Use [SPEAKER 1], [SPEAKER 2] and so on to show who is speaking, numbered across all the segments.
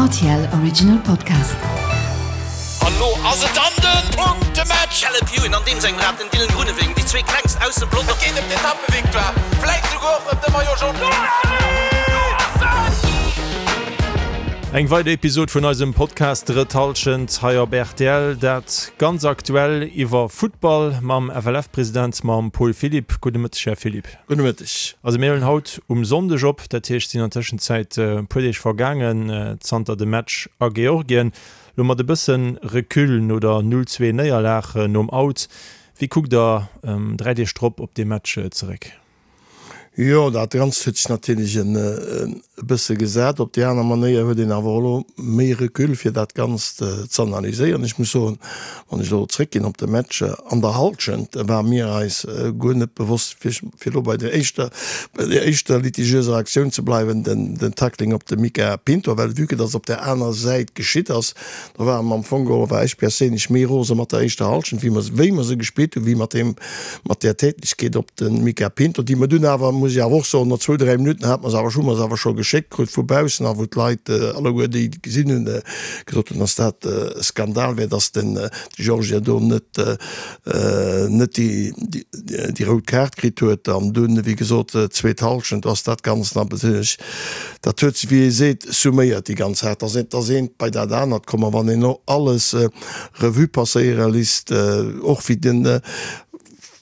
[SPEAKER 1] RTL Original Podcast.
[SPEAKER 2] An lo ass et dann den Punktematch!
[SPEAKER 3] Caleb Ewan an deem sengem Rad den Dylan Groenewegen, déi zwee klengst aus dem Pelotong.
[SPEAKER 2] Et geet ëm d'Etappevictoire, vläit souguer och ëm de Maillot Jaune.
[SPEAKER 4] Eng weider Episod vun eisem Podcast Drëtt Hallschent hei op rtl. Dat ganz aktuell iwwer Futtball mam FLF-President, mam Paul Philipp. Gudde Mëtteg, Här Philipp.
[SPEAKER 5] Gudde Mëtteg.
[SPEAKER 4] Also mir huelen haut um Sonndeg op, dat heescht et sinn an Tëschenzäit e puer Deeg vergaangen zanter dem Match a Georgien. Lo mat e bësse Recul no der 0, 2 Néierlag nom Out, wéi kuckt der 3 Deeg drop op dee Match zeréck?
[SPEAKER 5] Jo, dat Ganzt huet sech natierlech e bësse gesat. Op déi aner Manéier huet een awer och elo méi Recul fir dat Ganzt z'analyséieren. Ech muss soen, Wann ech elo zréckginn op de Match an der Halschent, war mir eis guer net bewosst, fir fir elo bei der éischter, bei der éischter litigiöser Aktioun ze bleiwen, den, den Tackling op de Mica Pinto, well vue que dass op där aner Säit geschitt ass, do ware mer am Fong geholl, war ech perséinlech méi rose mat der éischter Halschent, wéi mer, wéi mer se gespillt hunn, wéi mat deem, mat där Tätlechkeet op de Mica Pinto, déi mer dunn awer, muss ech awer och soen, no zwou, dräi Minutten hate mer se awer, hu mer se awer scho geschéckt krut vu baussen a wou d'Leit alleguer déi gesinn hunn, gesot hunn, dass dat e Skandal wär, dass den Georgier do net net déi déi rout Kaart kritt huet. An dunn, wéi gesot, zweet Hallschent ass dat Ganzt natierlech, dat huet sech, wéi ee seet, summéiert déi ganz Saach, dass eent dass eent bei dat anert komm. A wann een elo alles Revue passéiere lisst, och wéi den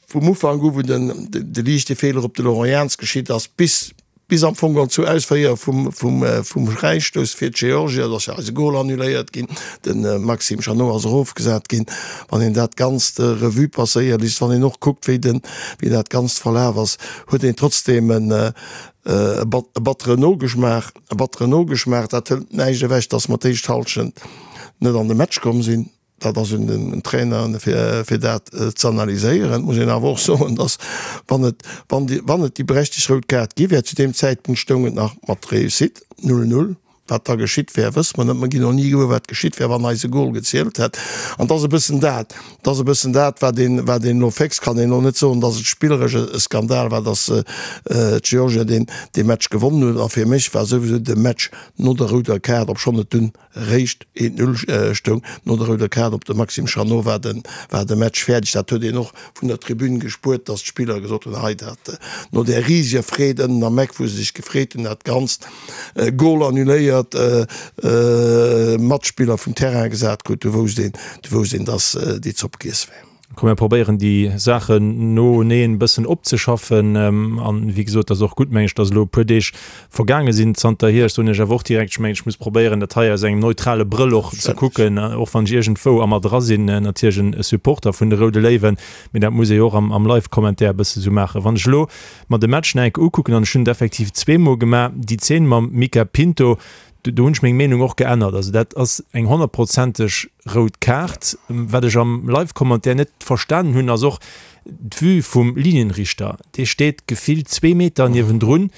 [SPEAKER 5] vum Ufank u wou den de liichte Feeler op de Laurent Jans geschitt ass, bis Bis am Fong geholl zur Ausféier vum Fräistouss fir d'Georgier, et ass jo eise Gol annuléiert ginn, de Maxime Chanot ass erofgesat ginn. Wann een dat Ganzt Revue passéiere léisst, wann een och kuckt, wéi den, wéi dat Ganzt verlaf ass, huet een trotzdeem e batteren Nogeschmaach, e batteren Nogeschmaach. Dat hëlt näischt ewech, datt mer d'éischt Hallschent net an de Match komm sinn. Dat ass un den Traineren, fir dat ze analyséieren. Et muss een awer och soen, datt, wann et, wann déi, wann et déi berechtegt rout Kaart gi wär, zu deem Zäitpunkt stoung et nach mat Réussite 0, 0. Wat da geschitt wär, wësse mer net. Mer ginn och ni gewuer, wat geschitt wär, wann eise Gol gezielt hätt. An et ass e bëssen dat, et ass e bëssen dat, wat een, wat een elo féchst. Kann een elo net soen, datt et spilleresch e Skandal war, datt d'Georgier deen, dee Match gewonnen hunn. A fir mech war souwisou de Match no der rouder Kaart, obschonn et dunn réischt 1, 0 stoung. No der rouder Kaart op de Maxime Chanot war de war de Match fäerdeg. Dat huet een och vun der Tribün gespuert, datt d'Spiller gesot hunn, hei dat no där riseger Freed ënnen am Eck, wou se sech gefreet hunn, dat Ganzt, Gol annuléiert, Matspiller vum Terrain gesat krut, du wousst een, du wousst een, datt déi Zopp giess war.
[SPEAKER 4] Komm mir probéieren déi Saachen noeneen e bëssen opzeschaffen. An wéi gesot, ass och gutt, meng ech, datt elo e puer Deeg vergaange sinn zanterhier. Ech soen Iech awer och direkt, ech mengen, ech muss probéieren, dat hei aus engem neutrale Brëll och ze kucken, och wann ech iergendwou a mer dra sinn, natierlech e Supporter vun de Roude Léiwen, mee dat muss ee jo och am Live-Commentaire e bësse sou maachen. Wann ech elo mer de Match nach eng Kéier ukucken, an ech hunn et effektiv zweemol gemaach, déi Zeen mam Mica Pinto, Do hunn ech meng Meenung och geännert. Also dat ass eng honnertprozenteg rout Kaart. Wat ech am Live-Commentaire net verstanen hunn, ass och d'Vue vum Linienrichter. Dee steet gefillt zwee Meter niewendrun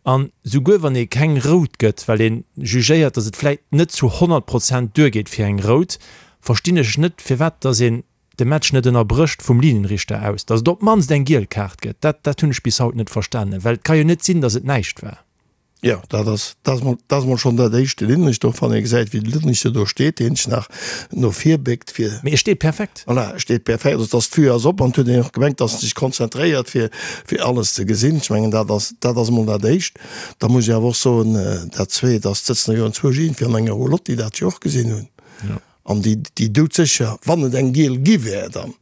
[SPEAKER 4] an souguer wann ee keng rout gëtt, well ee jugéiert, datt et vläit net zu 100 Prozent duergeet fir eng rout, verstinn ech net, firwat datt een de Match net ënnerbrécht vum Linienrichter aus, datt et op d'mannst eng giel Kaart gëtt. Dat dat hunn ech bis haut net verstanen, well et ka jo net sinn, datt et näischt war.
[SPEAKER 5] Jo, dat ass, dat ass mol, dat ass mol schonn dat Éischt. De Linienrichter, och wann ee gesäit, wéi de Linienrichter do steet, deen sech nach no vir béckt, fir.
[SPEAKER 4] Mee e steet perfekt.
[SPEAKER 5] Voilà, e steet perfekt. Also, dass d'Vue ass op an et huet een och gemengt, dass en sech konzentréiert, fir, fir alles ze gesinn. Ech mengen, dat ass, dat ass emol dat Éischt. Da muss ech awer och soen, dat Zweet ass, et sëtzen jo enzwousch iergendwéi an enger Roulotte, déi dat jo och gesinn hunn. An déi, déi doudsécher, wann et eng giel gi wär, dann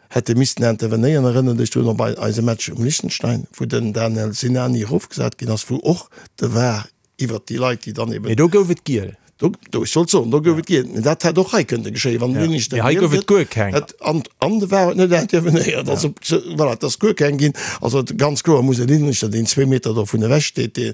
[SPEAKER 5] hätte missten intervenéieren. Erënner dech drun op eise Match um Liechtenstein, wou den Daniel Sinani erofgesat ginn ass, wou och de var iwwert déi Leit, déi dann eben.
[SPEAKER 4] Mee do gouf et giel.
[SPEAKER 5] Do, do, ech wollt soen, do gouf et giel. Mee dat hätt och hei kënnte geschéien, wann den Linienrichter
[SPEAKER 4] Mee hei
[SPEAKER 5] giel
[SPEAKER 4] gouf et
[SPEAKER 5] gëtt.
[SPEAKER 4] guer keng.
[SPEAKER 5] Hätt, an, an de var huet net intervenéiert. Also, voilà, et ass guer keng ginn. Also ganz kloer muss e Linienrichter, deen zwee Meter dovun ewech steet, dee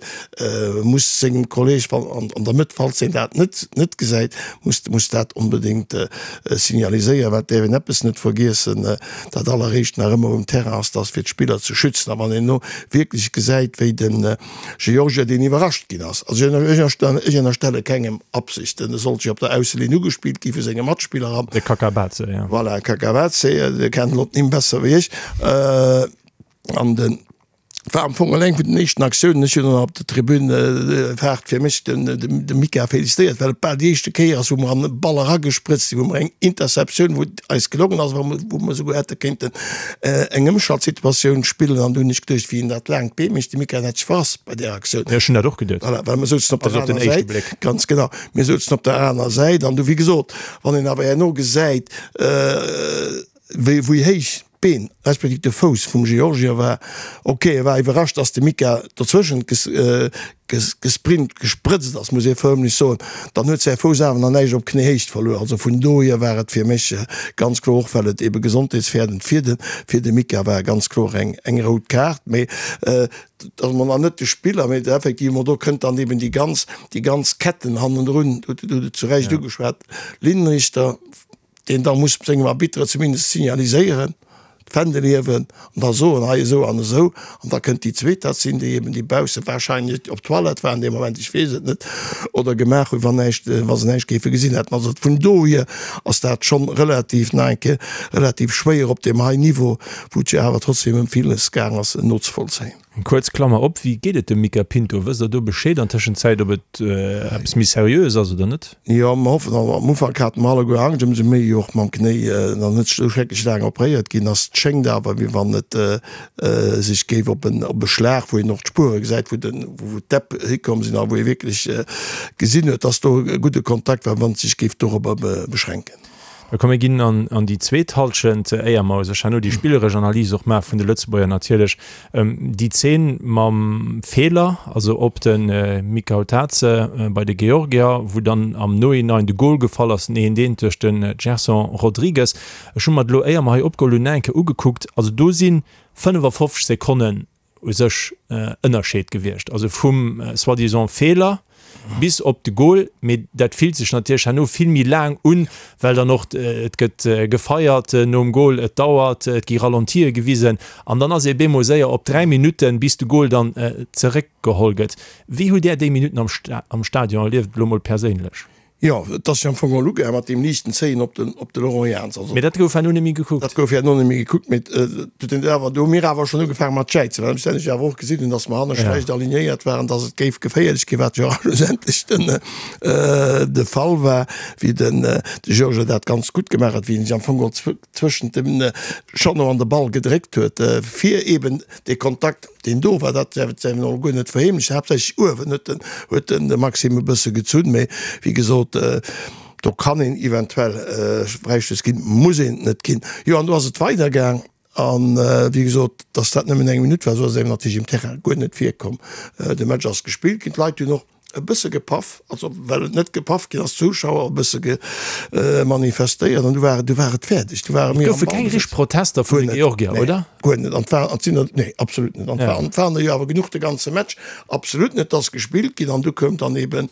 [SPEAKER 5] muss sengem Kolleg, wann an der Mëtt, falls hien dat net net gesäit, muss muss dat onbedéngt signaliséieren. Well et däerf een eppes net vergiessen, dat alleréischt nach ëmmer um Terrain ass, dass fir d'Spiller ze schützen. A wann een elo wierklech gesäit, wéi de Georgier, deen iwwerrascht ginn ass, also ech ech ënnerstelle kengem Absichten, e sollt jo op der Ausselinn ugespillt gi vu senge Matspiller an.
[SPEAKER 4] De Kakabadze,
[SPEAKER 5] jo. Voilà, Kakabadze, Dir kennt elo d'Nimm besser wéi ech. An den. War am Fong eng vun den éischten Aktiounen. Ech hunn dann op der Tribün haart fir mech den de Mika félicitéiert, well et bal déi éischte Kéier ass, wou mer an e Ball eragesprëtzt sinn, wou mer eng Interceptioun, wou et eis gelongen ass, wou mer esouguer hätte kéinten eng Ëmschaltsituatioun spillen. An du hunn ech geduecht, wéi en dat laangt Bee mécht, de Mika, en hätt sech verrass bei där Aktioun.
[SPEAKER 4] Jo, ech hunn dat och geduet.
[SPEAKER 5] Voilà, well mer souzen op der aner Säit. Ganz genau, mir souzen op der aner Säit. An du, wéi gesot, wann een awer herno gesäit, wéi wéi héich d'Been respektiv de Fouss vum Georgier war. Ok, e war iwwerrascht, dass de Mika dozwëschent gesprint, gesprëtzt ass, muss ee förmlech soen. Dann huet säi Fouss awer nach näischt op Knéihéicht verluer. Also vun dohier war et fir mech ganz kloer, och well et ebe gesondheetsfäerdend fir de fir de Mika war, ganz kloer eng eng rout Kaart. Mee et ass mer nach net de Spiller, mee effectivement do kënnt dann eben déi ganz déi ganz Ketten hannendrun, du hutt et zu Recht ugeschwat, Linienrichter, deen da muss sengem Arbitre zumindest signaliséieren, d'Fändel hiewen an da soen, hei esou an esou. An da kënnt déi zweet, dat sinn déi eben, déi bausse wahrscheinlech op d'Toilette waren dee Moment, ech weess et net, oder gemaach hunn, wann näischt, wa se näischt géife gesinn hätten. Also vun dohier ass dat schonn relativ, nach eng Kéier, relativ schwéier op deem hei Niveau, wou et jo awer trotzdem ëm villes gaang ass, nozevollzéien.
[SPEAKER 4] Eng kuerz Klammer op, Wéi geet et dem Mica Pinto? Wësst der do Bescheed an Tëschenzäit, ob et eppes méi seriöes ass oder net?
[SPEAKER 5] Jo, mer hoffen. Also am Ufank hate mer alleguer Angscht, ëmsou méi jo och mam Knéi nach net esou schrecklech laang operéiert ginn ass. Et schéngt awer, wéi wann et sech géif op en op e Schlag, wou een och d'Spuere gesäit, wou den wou d'Däpp hikomm sinn a wou ee wierklech gesinn huet, dass do e gudde Kontakt war, wann et sech géif dorobber beschränken.
[SPEAKER 4] Da komm mir ginn an déi zweet Halschent, éier mer u sech herno déi spilleresch Analys och maache vun de Lëtzebuerger natierlech. Déi Zeen mam Feeler, also op de Mikautadze bei de Georgier, wou dann am Nohinein de Gol gefall ass, den eent eent duerch de Gerson Rodrigues. Ech hu mer et elo, éier mer hei opgeholl hunn, nach eng Kéier ugekuckt. Also do si 55 Sekonnen u sech Ënnerscheed gewiescht, also vum soi-disant Feeler bis op de Goal, mee dat fillt sech natierlech herno vill méi laang un, well dann och et gëtt gefeiert nom Goal, et dauert, et gi Ralentie gewisen an dann ass ee bemol séier op 3 Minutten, bis de Goal dann zeréckgeholl gëtt. Wéi hutt Där déi Minutten am Stadion erlieft, elo mol perséinlech?
[SPEAKER 5] Jo, et ass jo am Fong och ugaang mat deem liichten Zéien op den, op de Laurent Jans.
[SPEAKER 4] Also, Mee dat gouf herno net méi gekuckt.
[SPEAKER 5] Dat gouf herno net méi gekuckt, mee et huet een awer, do hu mir awer schonn ugefaange mat jäizen, well ech awer och gesinn hunn, datt mer hanne schlecht alignéiert waren, datt et géif geféierlech ginn, wat jo och schlussendlech den, de Fall war, wéi den de Georges dat ganz gutt gemaach huet, wéi en sech am Fong geholl zwëschent dem Jeannot an de Ball gedréckt huet, fir eeben dee Kontakt, deen do war, dat däerf et och guer net verheemlechen, haaptsächlech uewen huet den, huet den de Maxime e bësse gezunn, mee wéi gesot, do kann een eventuell Fräistöss ginn, muss een et net ginn. Jo, an do ass et weidergaang an, wéi gesot, dass dat nëmmen eng Minutt war, esou ass et engem natierlech um Terrain guer net virkomm. De Match ass gespillt ginn, d'Leit hunn och e bësse gepaff, also well et net gepaff ginn ass, d'Zuschauer e bësse ge manifestéiert an du war du war et fäerdeg. Du ware
[SPEAKER 4] mir. Et goufe keng richteg Protester vun de Georgier, oder?
[SPEAKER 5] Guer net. An war an sinn der, nee, absolut net. An war an waren der jo awer genuch de ganze Match. Absolut net, ass gespillt ginn an du koum dann eben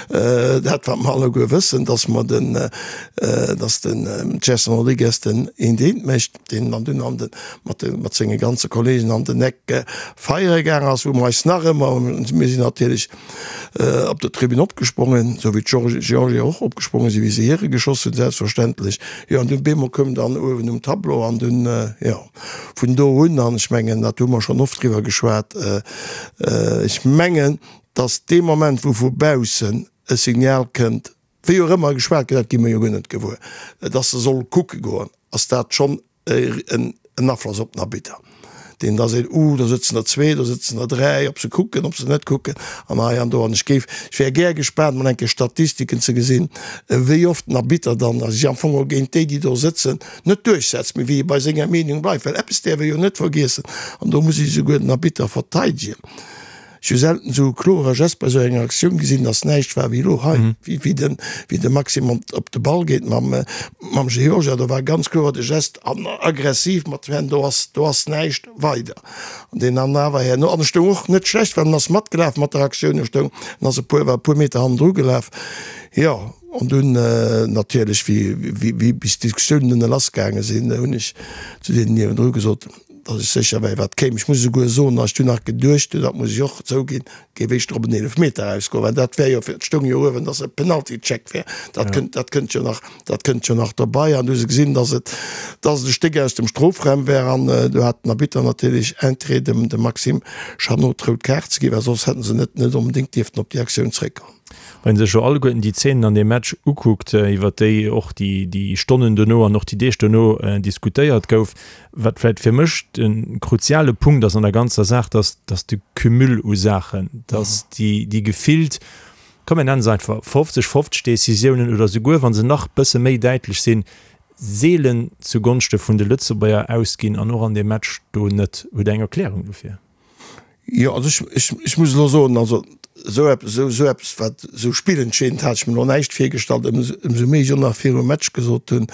[SPEAKER 5] dat wat mer alleguer wëssen, datt mer den, datt den Gerson Rodrigues den eent eent mécht. deen dann dunn an de, mat de, mat senge ganze Kollegen an den Eck feiere gaang ass, wou mer eis nach ëmmer, mir sinn natierlech op der Tribün opgesprongen, esou wéi d'Georgier och opgespronge sinn, wéi se hire geschoss hunn, selbstverständlech. Jo, an dunn bemol koum dann uewen um Tableau an dunn, jo, vun do un, an ech mengen, dat hu mer schonn oft driwwer geschwat, ech mengen, datt dee Moment, wou vu baussen e Signal kënnt, Wéi och ëmmer geschwat gëtt, dat gi mer jo guer net gewuer, dass se soll kucke goen, ass dat schonn en Afloss op den Arbitter, deen da seet, Uh, do sëtzen der zwee, do sëtzen der dräi, ob se kucken, ob se net kucken an hei an do. An ech géif, ech wär gär gespaant, mol eng Kéier Statistiken ze gesinn, wéi oft den Arbitter dann sech am Fong och géint déi, déi do sëtzen, net duerchsetzt, mee wéi e bei senger Meenung bleift. Well eppes däerf ee jo net vergiessen, an do muss ech esouguer den Arbitter verteidegen, Ech hu selten esou e klore Gest bei esou enger Aktioun gesinn, dass näischt war wéi elo hei, wéi den, wéi de Maxime op de Ball geet mam, mam Georgia. Do war ganz kloer de Gest an aggressiv mat den Hänn, do ass, do ass näischt weider. An deen dann awer herno, an e stoung och net schlecht, well en ass matgelaf mat der Aktioun, e stoung, en ass e puer, war e puer Meter hannendru gelaf, jo. An dunn natierlech, wéi, wéi, wéi bis d'Diskussiounen dunn lassgaange sinn, hunn ech zu deenen niewendru gesot, Datt ech sécher wär, wat kéim. Ech muss esouguer soen, datt ech dunn nach geduecht hunn, dat muss ech och zouginn, Géif éischter op en Eelefmeter erausgoen, well dat wär jo, et stoung jo uewen, datt e Penalty-Check wär. Dat kënnt, dat kënnt jo nach, dat kënnt jo nach dobei. An du hu se gesinn, datt et, datt et e Stéck aus dem Strofraum wär. An do hat den Arbitter natierlech Interêt, dem, dem Maxime Chanot d'rout Kaart ze ginn, well soss hätte se net, net onbedéngt dierften op déi Aktioun zréckgoen.
[SPEAKER 4] Wann ee sech elo alleguerten déi Zeenen an deem Match ukuckt, iwwer déi och déi, déi Stonnen dono an och déi Deeg dono diskutéiert gouf, Wat vläicht fir mech de kruziale Punkt ass an der ganzer Saach, dass, dass de Cumul u Saachen, dass déi, déi gefillt, komm mir nennen se einfach 50, 50 Décisiounen oder souguer wa se nach bësse méi däitlech sinn, seelen zugonschte vun de Lëtzebuerger ausginn an och an deem Match do net. Hutt Der eng Erklärung dofir?
[SPEAKER 5] Jo, also ech, ech, ech muss elo soen, also esou eppes, esou, esou eppes wat esou spillentscheedend hat ech mir elo näischt virgestallt, ëmsou, ëmsou méi ech och nach virum Match gesot hunn,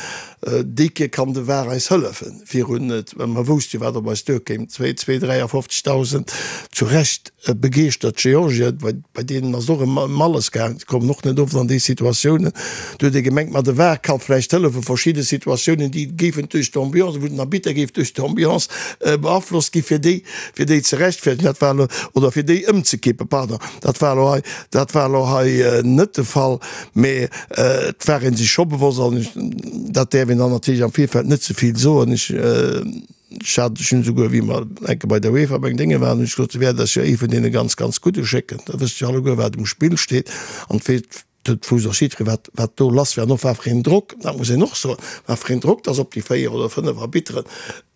[SPEAKER 5] déi Kéier kann de VAR eis hëllefen, virun, well mer wousste jo wat op eis duerkéim, zwee, zwee, 53.000 zu Recht begeeschtert Georgier, bei, bei deenen ass et och ëm, ëm alles gaang, déi kommen och net oft an déi Situatiounen. Do huet ee gemengt, ma de VAR ka vläicht hëllefen, verschidde Situatiounen, déi géifen duerch d'Ambiance, wou den Arbitter géif duerch d'Ambiance beaflosst gi fir déi, fir déi ze rechtfertigen, dat war elo, oder fir déi ëmzekippen, pardon, dat war elo hei, dat war elo hei net de Fall. Mee et war ee sech scho bewosst, an dat däerf een dann natierlech am Virfeld net ze vill soen, ech, ech hat, ech hunn esouguer, wéi mer eng Kéier bei der UEFA beim Dénge waren, hunn ech gesot, se wäert eis jo ee vun deene ganz, ganz Gudde schécken, da wësst jo alleguer, wat um Spill steet an et Et wouss och jiddweree wat, wat do lass war an och wat fir een Drock, dat muss een och soen, wat fir een Drock dass op déi 4 oder 5 Arbitteren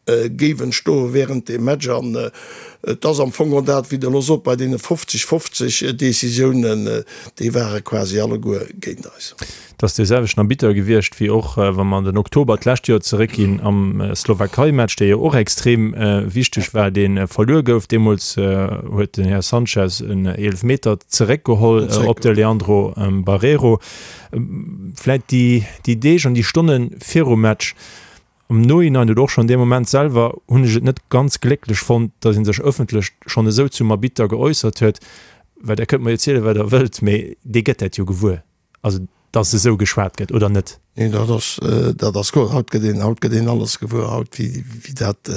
[SPEAKER 5] géif entstoe während deem Match. An et ass am Fong och dat, wéi Der elo sot, bei deene 50, 50 Décisiounen, déi ware quasi alleguer géint eis.
[SPEAKER 4] Et ass dee selwechten Arbitter gewiescht wéi och, wa mer an den Oktober d'lescht Joer zeréckginn, am Slowakei-Match, dee jo och extrem wichteg war, dee verluer gouf. Deemools huet den Här Sanchez en Eelefmeter zeréckgeholl op de Leandro Barreiro. Vläit déi Deeg an déi Stonne virum Match, Am Nohinein oder och schonn dee Moment selwer hunn ech et net ganz glécklech fonnt, datt ee sech ëffentlech schonn esou zum Arbitter geäussert huet, well Der kënnt mer jo zielen, wat Der wëllt, mee dee gëtt dat jo gewuer, also datt esou geschwat gëtt, oder net?
[SPEAKER 5] Nee, dat ass, dat ass kloer. Haut gëtt een, haut gëtt een alles gewuer, haut wéi, wéi dat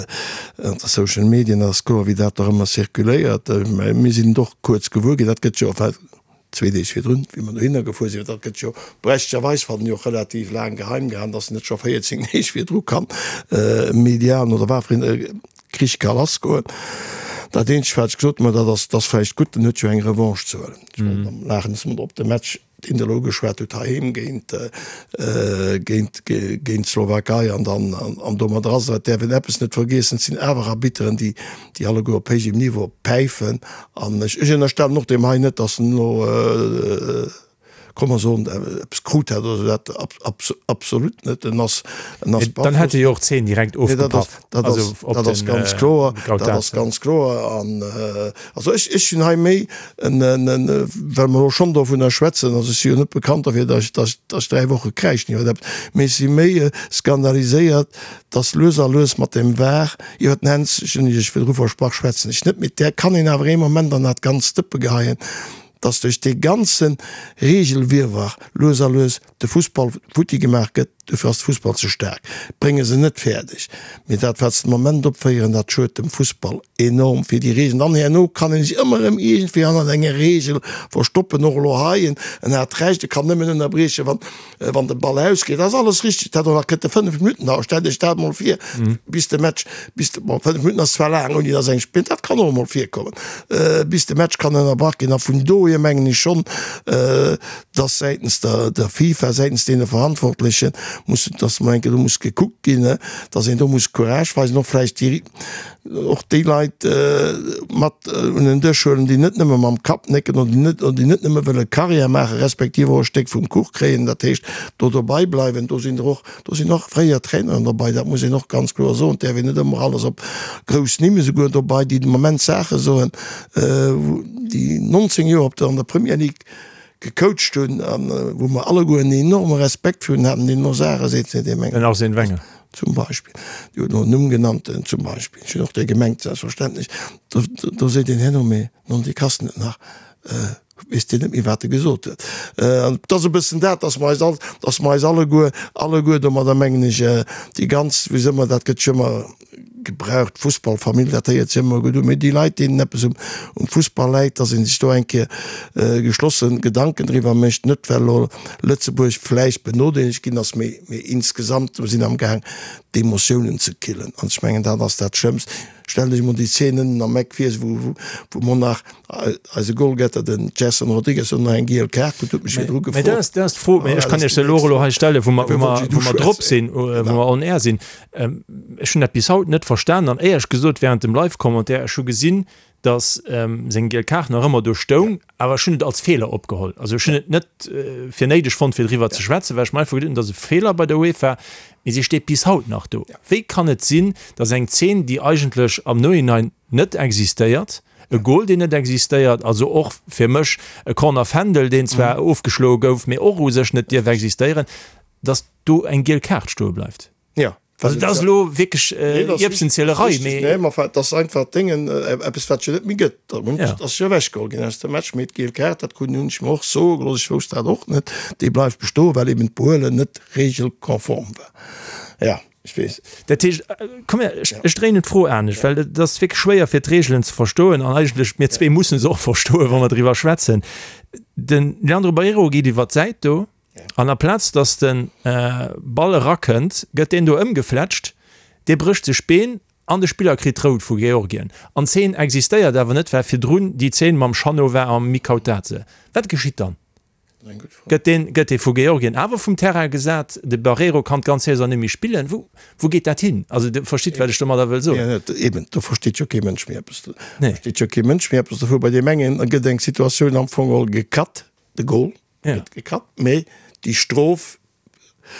[SPEAKER 5] an de Social Medien ass kloer, wéi dat och ëmmer zirkuléiert. Mä mir sinn et och kuerz gewuer ginn, dat gëtt jo, enfin, Zwee Deeg virdrun, wéi mer dohinner gefuer sinn, dat gëtt jo berechtegterweis, fannen ech, och relativ laang geheim gehalen, dass net scho 14 Deeg virdru kann medial oder wat fir een Krich ka lassgoen. Dat eenzegt, wat ech gesot hunn, mä dat ass, dat ass vläicht gutt, en huet jo eng Revanche ze huelen. Ech wollt am Laachen, dass mer op de Match, deen Der elo ugeschwat hutt, heiheem géint, géint, géint d'Slowakei an dann, an domadder ass et. Et däerf een eppes net vergiessen, et sinn awer Arbitteren, déi, déi alleguer op héijem Niveau päifen. An ech ënnerstellen och deem hei net, datt en elo, komm mer soen, eppes krut hätt oder esou, dat absolut net. En ass,
[SPEAKER 4] en ass Dann hätt e jo och d'Zeen direkt ofgepaff.
[SPEAKER 5] Dat ass, dat ass ganz kloer, dat ass ganz kloer. An also ech, ech hunn hei méi en, en, well mer elo schonn dovunner schwätzen, also ech si jo net bekannt derfir, datt ech, datt ech, datt ech 3 Woche kräischen iwwer eppes, mee ech si méi skandaliséiert, dass lues a lues mat dem Var, iwwer den Hänz, ech hunn Iech virdru versprach, schwätzen ech net, mee där kann een awer ee Moment an dat ganzt Dëppe geheien, dass duerch dee ganze Regelwirrwarr lues a lues de Fussball futti gemaach gëtt. Dofir ass de Fussball ze staark, brénge se net fäerdeg. Mee dat, wat se de Moment opféieren, dat schued dem Fussball enorm fir déi Regeln. Dann herno kann ee sech ëmmer erëm iergendwéi hannert enger Regel verstoppen, och elo hei, en hat Recht, e kann nëmmen ënnerbriechen, wann Wann de Ball ausgeet, ass alles richteg. Dat och nach kënnt de 5 Minutten dauern. Stellt Iech dat emol vir, bis de Match, bis de, bon, 5 Minutten ass zwar laang, ouni dass eng spillt, dat kann och emol virkommen, bis de Match kann ënnerbrach ginn. A vun dohier mengen ech schonn, dass säitens der, der FIFA, säitens deene Verantwortlechen muss, dass emol eng Kéier do muss gekuckt ginn, dass een do muss Courage weisen, och vläicht déi, och déi Leit mat un den Dësch huelen, déi net nëmme mam Kapp nécken oder déi net, déi net nëmme wëlle Karriär maachen, respektiv och e Stéck vum Kuch kréien, dat heescht do dobei bleiwen. Do sinn der och, do sinn och fréier Traineren dobei, dat muss een och ganz kloer soen. Et däerf een net ëmmer alles op grouss Nimm, esouguer dobei, déi de Moment Saache soen, déi 19 Joer op der, an der Premier League gecoacht hunn a wou mer alleguer en enorme Respekt virun haten, deen elo Saache seet, seet ee mengen.
[SPEAKER 4] Den Arsène Wenger.
[SPEAKER 5] Zum Beispill. Dir hutt elo en Numm genannt, zum Beispill. Ech hunn och dee gemengt, selbstverständlech. Do, do seet een herno, mee non, dee kanns de net nach, weess deen net méi, wat e gesot huet. An et ass e bëssen dat, dass mer eis all, dass mer eis alleguer, alleguer domadder, mengen ech, déi ganz, wéi soe mer, dat gëtt jo ëmmer. gebraucht, d'Fussballfamill, dat héiert sech ëmmer gutt un, mee déi Leit, deenen eppes um Fussball läit, dass ee sech do eng Kéier geschlosse Gedanken driwwer mécht, net well elo Lëtzebuerg vläicht benodeelegt ginn ass, mee insgesamt, mir sinn amgaang d'Emotiounen ze killen an ech mengen, dat ass dat Schlëmmst. Stell dech emol déi Zeen ënnen am Eck vir, wou wou mer nach eise Goalgetter, den Gerson Rodrigues, och nach eng giel Kaart krut, huet mech virdru
[SPEAKER 4] gefrot. Mee dat ass, dat ass d'Fro, mee ech kann Iech se elo och elo hei stellen, wou mer, wou mer, wou mer drop sinn, wou mer on air sinn. Ech hunn dat bis haut net verstanen an éierlech gesot während dem Live-Commentaire, ech hu gesinn, datt seng giel Kaart nach ëmmer do stoung, awer ech hunn et als Feeler opgeholl. Also ech hunn et net fir néideg fonnt, fir driwwer ze schwätzen, well ech mer einfach geduet hunn, dat ass e Feeler bei der UEFA, mee si steet bis haut nach do. Wéi kann et sinn, datt eng Zeen, déi eigentlech am Nohinein net existéiert, e Gol, deen net existéiert, also och fir mech e Corner Fändel, deen zwar ofgeschloe gouf, mee och u sech net dierf existéieren, datt do eng giel Kaart stoe bleift?
[SPEAKER 5] Ja.
[SPEAKER 4] Also dat ass elo wierklech Ierbsenzielerei,
[SPEAKER 5] mee. Nee, ma enfin, dat ass einfach Déngen, eppes wat jo net méi gëtt. Dat ass jo ewechgeholl ginn aus dem Match, mee d'giel Kaart, dat krut hunn ech mer och soe gelooss, ech wousst dat och net, déi bleift bestoen, well eben d'Behuelen net regelkonform war. Ja, ech weess.
[SPEAKER 4] Dat heescht, komm her, ech, ech dréinen d'Fro anescht, well et ass wierklech schwéier fir d'Reegelen ze verstoen an eigentlech mir zwee musse se och verstoen, wa mer driwwer schwätzen. De Leandro Barreiro geet iwwer d'Säit do. An aplaz dass de Ball erakënnt, gëtt deen do ëmgefletscht, dee brécht sech d'Been an de Spiller kritt rout vu Georgien. An d'Zeen existéiert awer net, well virdrun déi Zeen mam Chanot war a Mikautadze. Wat geschitt dann? Gëtt deen, gëtt dee vu Georgien awer vum Terrain gesat? De Barreiro kann d'ganz Saison net méi spillen. Wou, wou geet dat hin? Also Dir verstitt, wat ech domadder wëll soen.
[SPEAKER 5] Jo, eben, do versteet jo kee Mënsch méi eppes. Do versteet jo kee Mënsch méi eppes dovu. Bei deem engen gëtt eng Situatioun am Fong geholl gecut, de Goal. gëtt gekatt, mee déi Strof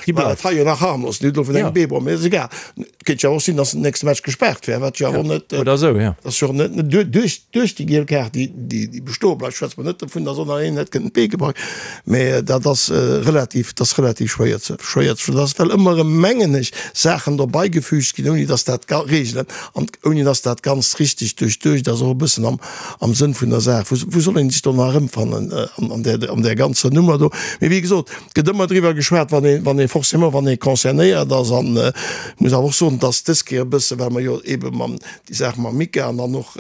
[SPEAKER 5] déi bleift. Hei jo nach harmlos, net elo vun engem Bee, mee ass egal. Et kéint jo och sinn, datt den nächste Match gespaart wär, wat jo awer net,
[SPEAKER 4] Oder esou, jo.
[SPEAKER 5] ass jo net duerch duerch déi giel Kaart, déi déi bestoe bleift, schwätze mer net dovun, datt och nach een hätt kënnen d'Bee gebrach. Mee dat ass relativ, dat ass relativ schwéier ze schwéier ze verstoen. Dat ass well ëmmer erëm, mengen ech, Saachen derbeigefügt ginn, ouni datt dat Reegelen an ouni datt dat Ganzt richteg duerchduecht ass, och e bëssen am am Sënn vun der Saach. Wou soll een sech do nach erëmfannen an där, an där ganzer Nummer do? Mee wéi gesot, et gëtt ëmmer driwwer geschwat, wann ee, wann ee forcément, wann ee concernéiert ass. An ech muss awer och soen, dass dës Kéier e bësse, well mer jo eebe mam, déi Saach mam Mika an dann och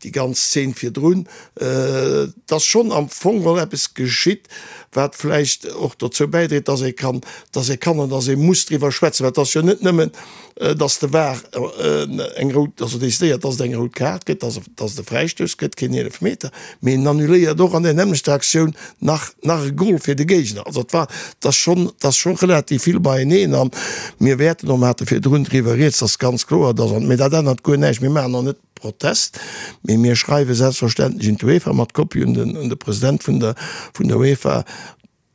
[SPEAKER 5] déi ganz Zeen virdrun, dass schonn am Fong geholl eppes geschitt, wat vläicht och dozou bäidréit, dass ee kann, dass ee kann an dass ee muss driwwer schwätzen. Well et ass jo net nëmmen, dass de var eng rout, also decidéiert, dass et eng rout Kaart gëtt, dass dass et e Fräistouss gëtt, keen Eelefmeter, mee en annuléiert och an där nämmlechter Aktioun nach nach e Gol fir de Géigner. Also et war, et ass schonn, et ass scho relativ vill beieneen an mir wäerten och, mer hate virdrun driwwer rieds, ass ganz kloer, dass, mee dat ännert guer näischt, mir maachen och net Protest, mee mir schreiwe selbstverständlech un d'UEFA mat Kopie un den un de President vun der vun der UEFA,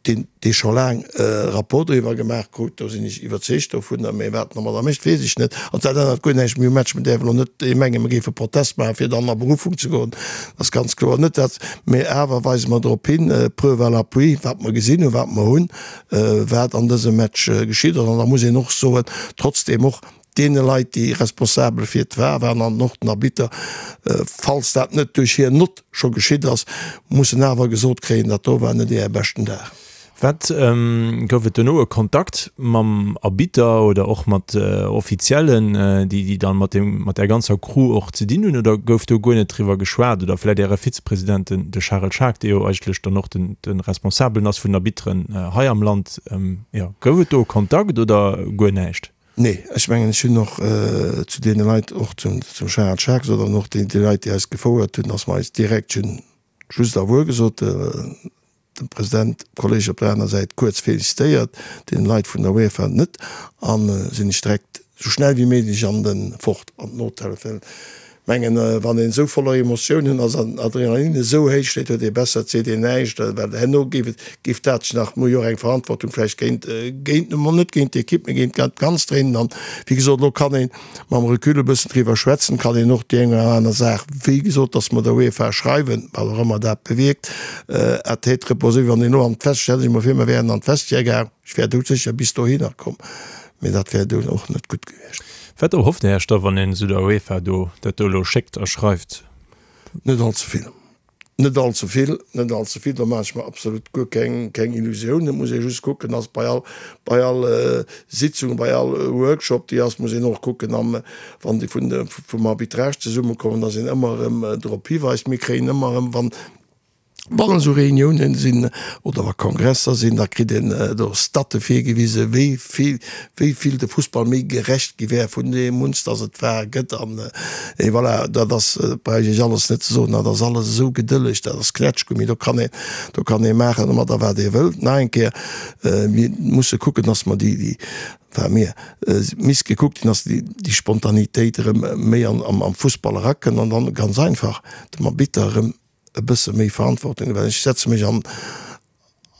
[SPEAKER 5] deen dee scho laang e Rapport driwwer gemaach krut, do sinn ech iwwerzeegt dovunner, mä wat en domadder mécht, weess ech net. An dat ännert guer näischt méi um Match. Mir däerfen elo net mengen, mir géife Protest maachen, fir dann a Beruffung ze goen, dat ass ganz kloer net dat. Mä awer weise mer drop hin, preuve à l'appui, wat mer gesinn hunn, wat mer hunn, wat an dësem Match geschitt ass. An da muss een och soen, trotzdeem och deene Leit, déi responsabel fir d'War waren an och den Arbitter, falls dat net duerch hir Nott scho geschitt ass, mussen awer gesot kréien, dat do war net Äre beschten Dag.
[SPEAKER 4] Wat, gouf et dono e Kontakt mam Arbitter oder och mat Offiziellen, déi déi dann mat deem, mat där ganzer Crew och ze dinn hunn, oder gouf do guer net driwwer geschwat? Oder vläicht Äre Vizepresident, den de Charel Schaack, dee jo eigentlech dann och den de Responsabelen ass vun den Arbitteren hei am Land, jo, gouf et do e Kontakt oder guer näischt?
[SPEAKER 5] Nee, ech mengen, ech hunn och zu deene Leit, och zum Charel Schaack gesot an och déi Leit, déi eis gefouert hunn, dass mer eis direkt, ech hunn just au revoir gesot, dem President, dem Kolleg op der aner Säit kuerz félicitéiert, deene Leit vun der UEFA net, a sinn ech direkt esou schnell wéi méiglech an de fort an den Hotel. Well Mengen, wann een esou voller Emotiounen ass an Adrenalin esou héich steet, huet ee besser, et seet een näischt, well herno géif et, géif dat sech nach, mir hu jo och eng Verantwortung vläicht géint, géint, emol net géint d'Ekipp, mee géint dat Ganzt dréinen. An wéi gesot, elo kann ee mam Recul e bëssen driwwer schwätzen, kann een och déi eng oder aner Saach, wéi gesot, datt mer der UEFA schreiwen, wat och ëmmer dat bewierkt, à tête reposée, wann een elo an d'Vestiaire, stell dech emol vir, mer wären an d'Vestiaire gaang, Ech wär doudsécher bis dohinner komm, mee dat wär dunn och net gutt gewiescht.
[SPEAKER 4] Wat erhofft Är Iech da, wann een esou der UEFA do dat do elo schéckt a schreift?
[SPEAKER 5] Net all ze vill. Net all ze vill, net all ze vill, do maache ech mer absolut guer keng, keng Illusiounen. Et muss ee just kucken, dass bei all, bei all Sitzung, bei all Workshop, déi ass, muss een och kucken, am, wann déi vun de, vum Arbitrage zesummekommen, dass een ëmmer erëm drop hiweist. Mir kréien ëmmer erëm, wann, wann esou Reuniounen sinn oder wa Kongresser sinn, da kritt een do Statte virgewisen, wéi vill, wéi vill de Fussball méi gerecht gi wär vun deem uns, dass et war, gëtt. An et voilà, dat ass, dat bräicht ech alles net ze soen, dat ass alles esou gedëlleg, dat ass Knätschgummi, do kann een, do kann ee maachen domadder wat ee wëllt. Nach eng Kéier, mir musse kucken, dass mer déi, déi, enfin mir, misst gekuckt ginn, dass déi, déi Spontanitéit erëm méi an, am Fussball erakënnt an dann ganz einfach dem Arbitter erëm e bësse méi Verantwortung, well ech setze mech an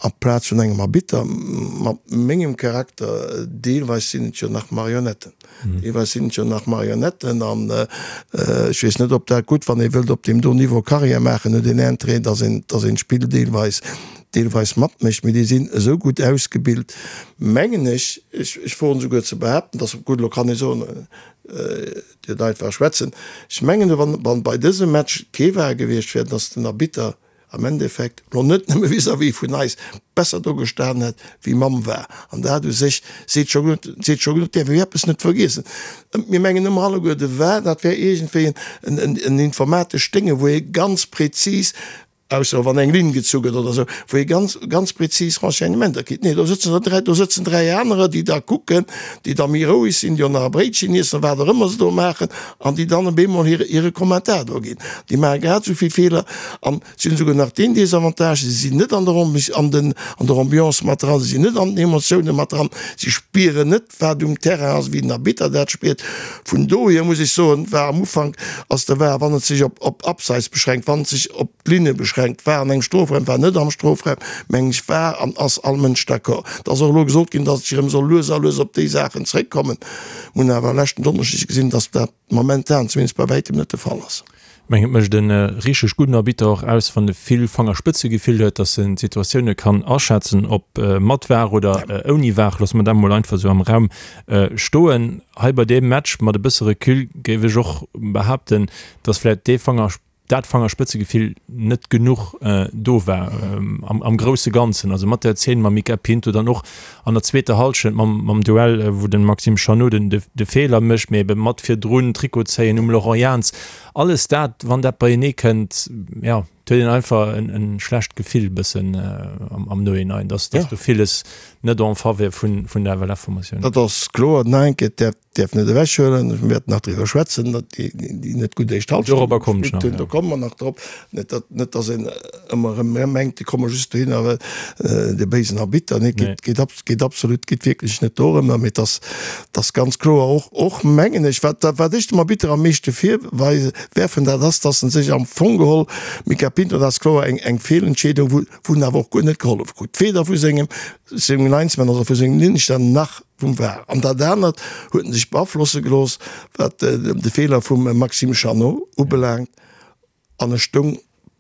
[SPEAKER 5] amplaz vun engem Arbitter mat mengem Charakter, deelweis sinn et jo nach Marionetten, deelweis sinn et jo nach Marionetten an ech weess net, ob dat gutt, wann ee wëllt op deem do Niveau Carrière maachen, huet een Interêt, dass een, dass een d'Spill deelweis, deelweis matmécht, mee déi sinn esou gutt ausgebilt, mengen ech, ech, ech woen esouguer ze behaapten, dass, gutt, elo kann ee soen, Dir deit war schwätzen, ech mengen, wann, wann bei dësem Match kee war gewiescht wär, dass den Arbitter am Endeffekt, lo net nëmme vis-à-vis vun eis, besser do gestan hätt wéi mam war. An dat u sech seet scho genuch, seet scho genuch. Däerf ee eppes net vergiessen, mir mengen ëmmer alleguer, de var, dat wär iergendwéi en, en, en informatescht Dénge wou ee ganz prezis, Ausser wann eng Linn gezu gëtt oder esou, wou ee ganz, ganz prezis Renseignementer kritt. Nee, do sëtzen der dräi, do sëtzen dräi anerer, déi da kucken, déi da méi roueg sinn, déi och nach e Bréitchen iessen, wat och ëmmer se do maachen, an déi dann op eemol hire, hire Kommentar do ginn. Déi maache grad esou vill Feeler an si hunn esouguer nach deen Desavantage, si sinn net an der an den, an der Ambiance mat dran, si sinn net an den Emotiounen mat dran, si spieren net, wat um Terrain ass, wéi den Arbitter dat spiert. Vun dohier muss ech soen, war am Ufank ass de var, wann et sech op op Abseits beschränkt, wann et sech op d'Linne beschränkt, war an engem Strofraum, war net am Strofraum, meng ech, war an ass all Mënsch d'accord. Et ass och elo gesot ginn, datt ech erëm soll lues a lues op déi Saachen zréckkommen. Mir hunn awer leschten Donneschdeg gesinn, datt dat momentan zumindest bei wäitem net de Fall ass.
[SPEAKER 4] Ech mengen, et mécht e richteg gudden Arbitter och aus, wann e vill Fangerspëtzegefill huet, dass en d'Situatioune kann aschätzen, ob mat var oder ouni var. Loosse mer dat emol einfach esou am Raum stoen. Hei bei deem Match, mat e bësse Recul, géif ech och behaapten, dass vläicht dee Fanger, dat Fangerspëtzegefill net genuch do war am grousse Ganzen. Also mat der Zeen mam Mica Pinto, dann och an der zweeter Hallschent mam, mam Duell, wou de Maxime Chanot den, de Feeler mécht, mee ebe mat virdrun Trikot zéien um Laurent Jans. Alles dat, wann dat beienee kënnt, jo, et huet een einfach en, en schlecht Gefill bëssen am, am Nohinein, dass, dass do villes net en faveur vun, vun der FLF-Formatioun.
[SPEAKER 5] Dat ass kloer. Nach eng Kéier, dat däerf net ewechhuelen, mir wäerten nach driwwer schwätzen, datt déi, déi net gutt éischt Hallschent gespillt hunn, do komme mer nach drop. Net datt, net datt een ëmmer erëm mengt, déi komme just dohinner, well de béisen Arbitter. Nee, geet, geet ab, geet absolut, geet wierklech net dorëmmer, mee et ass, et ass ganz kloer och, och mengen ech, wat, wat ech dem Arbitter am meeschte virweisen, werfen, dat ass, datt en sech am Fong geholl, Mica Pinto, dat ass kloer eng, eng Feelentscheedung, wou, wou en awer och guer net gehollef krut, weder vu sengem, sengem Linesman, also vu sengem Linienrichter, nach vum var. An dat anert huet en sech beaflosse gelooss, wat de Feeler vum Maxime Chanot ubelaangt, an e stoung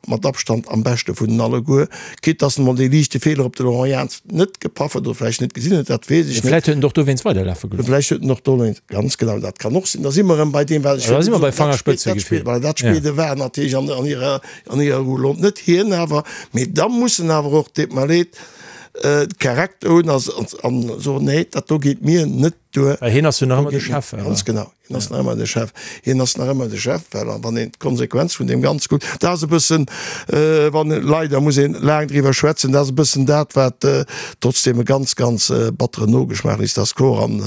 [SPEAKER 5] mat Abstand am beschte vun den alleguer, quitte dass en emol dee liichte Feeler op de Laurent Jans net gepaff huet oder vläicht net gesinn huet, dat weess ech net.
[SPEAKER 4] Vläicht huet en och dowéinst weiderlafe
[SPEAKER 5] gelooss. Vläicht huet en och dowéinst, ganz genau, dat kann och sinn. Da si mer erëm bei deem, wat ech
[SPEAKER 4] Da si mer bei Fangerspëtzegefill.
[SPEAKER 5] Voilà, dat spillt de var natierlech an hirer, an hirer Roulotte, net hien awer. Mee da muss en awer och, deet mer leed, Charakter hunn a soen, nee, dat do geet mir net duer.
[SPEAKER 4] Well hien ass jo nach ëmmer de Chef.
[SPEAKER 5] Ganz genau, hien ass nach ëmmer de Chef. Hien ass nach ëmmer de Chef, well wann een d'Konsequenz vun deem Ganze kuckt, dat ass e bëssen, wann, leider muss een laang driwwer schwätzen, dat ass e bëssen dat, wat trotzdeem e ganz, ganz batteren Nogeschmaach léisst, dat ass kloer. An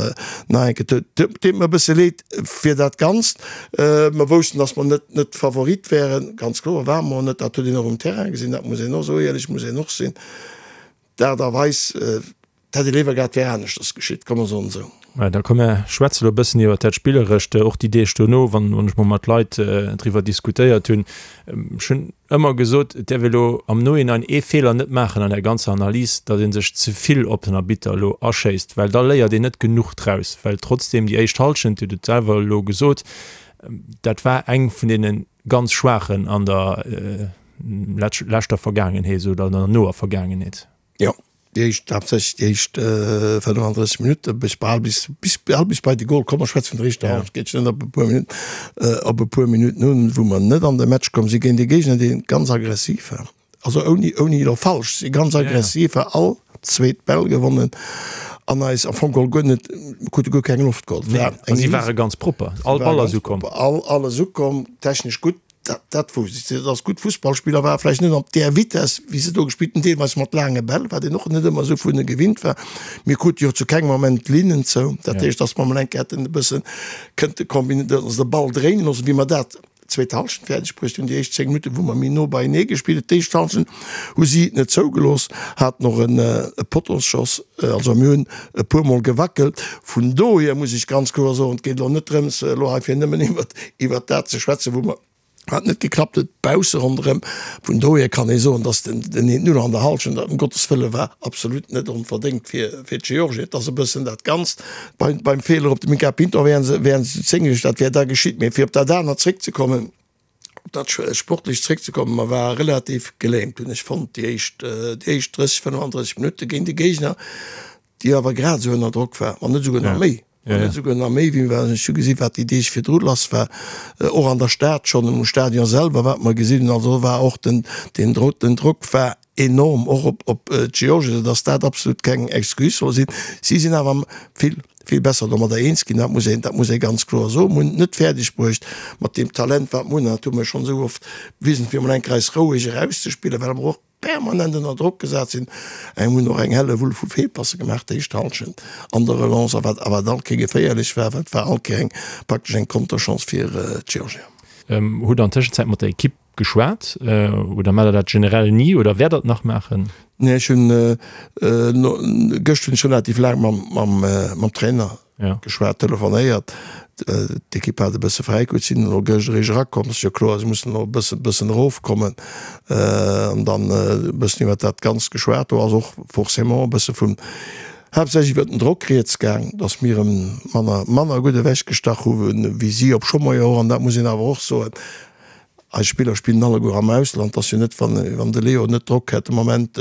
[SPEAKER 5] nach eng Kéier, et deet mer e bësse leed fir dat Ganzt. Mer woussten, datt mer net, net Favorit wären, ganz kloer ware mer och net. Dat huet een och um Terrain gesinn, dat muss een och, esou éierlech muss een och sinn. D'Aart a Weis, dat hätt ee léiwer gehat, wär aneschters geschitt, komm mer soen esou.
[SPEAKER 4] Mä da komm mer schwätze lo e bëssen iwwert dat Spillerescht, och déi Deeg dono, wann ech mol mat Leit driwwer diskutéiert hunn. Ech hunn ëmmer gesot, et däerf ee lo am Nohinein ee Feeler net maachen an der ganzer Analys, datt ee sech ze vill op den Arbitter elo aschéisst, well da léiert een net genuch draus. Well trotzdeem déi éischt Hallschent, Dir hutt et selwer elo gesot, dat war eng vun deene ganz schwaachen an der leschter Vergaangenheet oder an der noer Vergaangenheet.
[SPEAKER 5] Jo. Déi éischt, haaptsächlech déi éischt 35 Minutte bis bal bis bis bal bis bei de Gol komm. Ech schwätze vun der éischter Hallschent, geet net op e puer Minutten op e puer Minutten un, wou mer net an de Match komm si géint e Géigner, dee ganz aggressiv war. Also ouni ouni elo falsch ze sinn, ganz aggressiv war, all zweet Bäll gewonnen an eis am Fong geholl guer net, mer krute guer keng Loft geholl.
[SPEAKER 4] Nee, a si ware ganz propper, all Ball ass ukomm.
[SPEAKER 5] All alles ukomm, technesch gutt. Dat, dat wousst ech, dass gutt Fussballspiller waren, vläicht net op där Vitesse, wéi se do gespillt hunn, deelweis mat laange Bäll, wat een och net ëmmer esou vun hinne gewinnt war. Mir krute jo zu kengem Moment d'Linnen zou. Dat heescht, dass mer emol eng Kéier hätten e bësse kënnte kombinieren, also de Ball dréinen loossen, wéi mer dat d'zweet Hallschent fäerdeg bruecht hunn, déi éischt 10 Minutten, wou mer méi no beienee gespillt hunn. D'éischt Hallschent hu si et net zougelooss, haten och en Pottoschoss, also mir hunn e puer Mol gewackelt. Vun dohier muss ech ganz kloer soen, et geet elo net drëms, elo hei fir nëmmen iwwert iwwert dat ze schwätzen, wou mer, wat net geklappt huet, bausse ronderëm. Vun dohier kann ee soen, datt den den eent Null an der Hallschent, dat ëm Gottes Wëlle war absolut net onverdéngt fir fir d'Georgier. Et ass e bëssen dat Ganzt beim beim Feeler op de Mica Pinto wären se wären se zu 10 gewiescht, dat wär da geschitt. Mee fir op dat anert zréckzekommen, Op dat Sportlecht zréckzekommen, mer ware relativ gelähmt, hunn ech fonnt, déi éischt, déi éischt 30, 35 Minutte géint e Géigner, déi awer grad esou ënner Drock war, wann net esouguer nach méi, wann net esouguer nach méi, wéi mer, ech hu gesi wat déi Deeg virdru lass war, och an der Stad schonn, um Stadion selwer, wat mer gesinn hunn. Also war och den, den Drock, den Drock war enorm och op op d'Georgier, soudass dat absolut keng Excuse soll sinn. Si sinn awer vill, vill besser domadder eens ginn, dat muss een, dat muss ee ganz kloer soen. Mir hunn et net fäerdeg bruecht mat deem Talent, wat mir hunn, an dat hu mir schonn esou oft bewisen, fir emol eng Kéier eis roueg erauszespillen, well mer och permanent ënner Drock gesat sinn. Eng hunn och eng Hellewull vu Feelpasse gemaach d'éischt Hallschent an der Relance, a wat a wat all Kéier geféierlech war, well et war all Kéier eng praktesch eng Konterchance fir d'Georgier.
[SPEAKER 4] Hutt an Tëschenzäit mat der Ekipp Geschwat oder maacht der dat generell ni oder wäert der et nach maachen?
[SPEAKER 5] Nee, ech hunn gëscht hunn ech relativ laang mam Trainer geschwat, telefonéiert. D'Ekipp hat e bësse fräi krut, sinn elo gëscht eréischt erakomm. Ass jo kloer, se mussen elo e bësse bëssen erofkommen an dann e bëssen iwwer dat Ganzt geschwat. Do ass och forcément e bësse vun haaptsächlech iwwer den Drock rieds gaang, datt mir e manner manner gutt ewechgestach hu wéi si, obscho mer jo och, an dat muss een awer och soen, Eis Spiller spillen alleguer am Ausland. Et ass jo net, wann de Leo net Drock hätt de Moment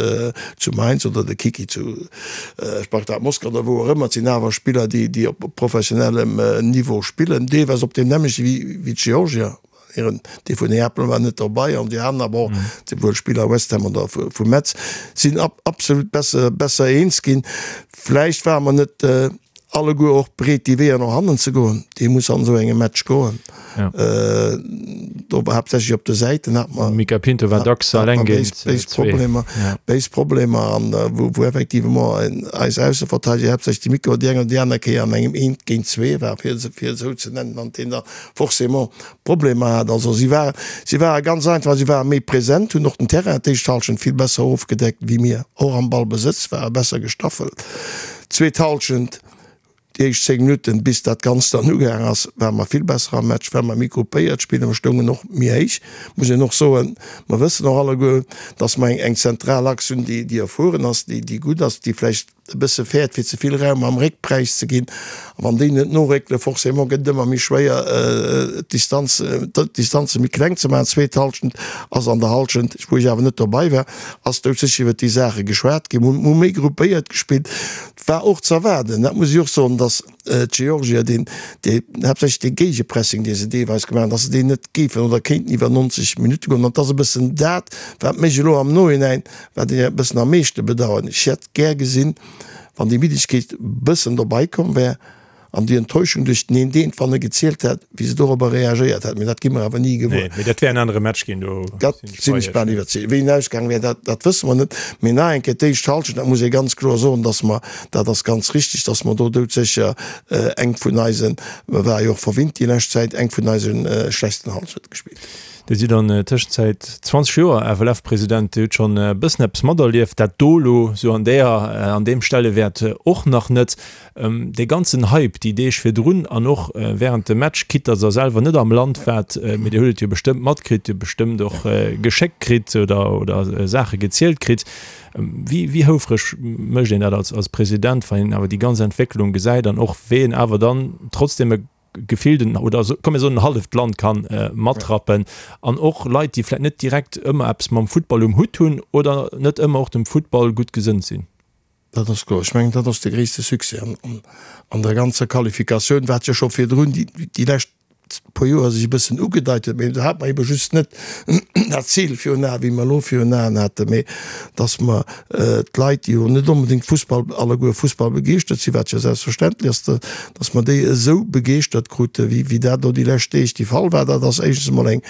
[SPEAKER 5] zu Mainz oder de Kiki zu Spartak Moskau oder wou och ëmmer. Et sinn awer Spiller, déi op professionellem Niveau spillen, deelweis op deem nämmlechte wéi d'Georgier. Hiren, dee vun Neapel war net derbei an déi aner, bon, souwuel Spiller West Ham oder vu Metz, sinn absolut besser eens ginn. Vläicht ware mer net alleguer och bereet déi Weeër no hannen ze goen, déi muss an esou engem Match goen.
[SPEAKER 4] Ja.
[SPEAKER 5] Äh, do haaptsächlech op de Säiten hat mer
[SPEAKER 4] Mica Pinto war dacks alleng géint
[SPEAKER 5] béis Problemer,
[SPEAKER 4] ja.
[SPEAKER 5] béis Problemer an äh, wou, wou effectivement eis Ausseverteidiger haaptsächlech de Mico déi eng oder déi aner Kéier an engem eent géint zwee war, fir fir esou ze nennen, an deen da forcément Problemer hat. Also si war, si ware ganz einfach, si ware méi present, hunn och den Terrain d'éischt Halschent vill besser ofgedeckt wéi mir, och am Ballbesëtz ware besser gestaffelt. Zweet Halschent, déi éischt 10 Minutten, bis dat Ganzt dann ugaang ass, ware mer vill besser am Match, well mer méi gruppéiert spillen. Mer stoungen och méi héich, muss een och soen. Mer wëssen och alleguer, dass mer eng zentral Achs hunn, déi erfueren ass, déi gutt ass, déi vläicht e bësse fäert fir ze vill Raum am Réck präis ze ginn. A wann déi net noréckelen, forcément gëtt et ëmmer méi schwéier d'Distanz, d'Distanze méi kleng ze maachen. Zweet Halschent ass an der Halschent, wou ech awer net dobei war, ass doudsécher iwwert déi Saache geschwat ginn. Mir hu méi gruppéiert gespillt. War och z'erwaarden, dat muss ech och soen, datt d'Georgier deen, dee haaptsächlech dee Géigepressing, dee se deelweis gemaach hunn, datt se deen net géifen oder kéinten iwwer 90 Minutte goen. An et ass e bëssen dat, wat mech elo am Nohinein, wat ech e bëssen am meeschte bedauern. Ech hätt gär gesinn, wann déi Middegkeet e bëssen dobei komm wär an déi Enttäuschung duerch den een deen, wann e gezielt hätt, wéi se dorobber reagéiert hätt. Mee dat gi mer awer ni gewuer.
[SPEAKER 4] Nee, mee dat wär en anere Match ginn, do
[SPEAKER 5] Dat sinn ech bal iwwerzeegt. Wéi en ausgaang wär, dat, dat wësse mer net. Mee nach eng Kéier, d'éischt Halschent, dat muss ee ganz kloer soen, dass mer, dat ass ganz richtig, dass mer do doudsécher eng vun eisen, mer ware jo och verwinnt déi lescht Zäit, eng vun eise schlechtsten Halschente gespillt hunn.
[SPEAKER 4] Dir sidd an Tëschenzäit 20 Joer FLF-President, Dir hutt schonn e bëssen eppes materlieft, dat do elo sou an deeër, an deem Stellewäert och nach net. Dee ganzen Hype déi Deeg virdrun an och wärend dem Match, quitte datt Der selwer net am Land waart, mee Dir hutt et jo bestëmmt matkritt, Dir hutt bestëmmt och geschéckt kritt oder oder Saache gezielt kritt. Wéi wéi houfreg mécht een dat als als President, wann een awer déi ganz Entwécklung gesäit an och wéi een awer dann trotzdem e gefillt en, oder komm mir soen en halleft Land kann matrappen an och Leit déi vläit net direkt ëmmer eppes mam Futtball um Hutt hunn oder net ëmmer och dem Futtball gutt gesënnt sinn.
[SPEAKER 5] Dat ass kloer. Ech mengen, dat ass de gréisste Succès an der ganzer Qualifikatioun, wat jo scho virdrun déi lescht puer Joer sech e bëssen ugedeit huet, mee do hat mer ebe just net dat Zil virun Aen, wéi mer elo virun Aen haten, mee datt mer d'Leit, déi jo net onbedéngt Fussball, alleguer Fussball begeeschtert sinn, wat jo selbstverständlech ass, datt mer déi esou begeeschtert kruten, wéi dat elo déi lescht Deeg de Fall war. Dat ass éischtens emol eng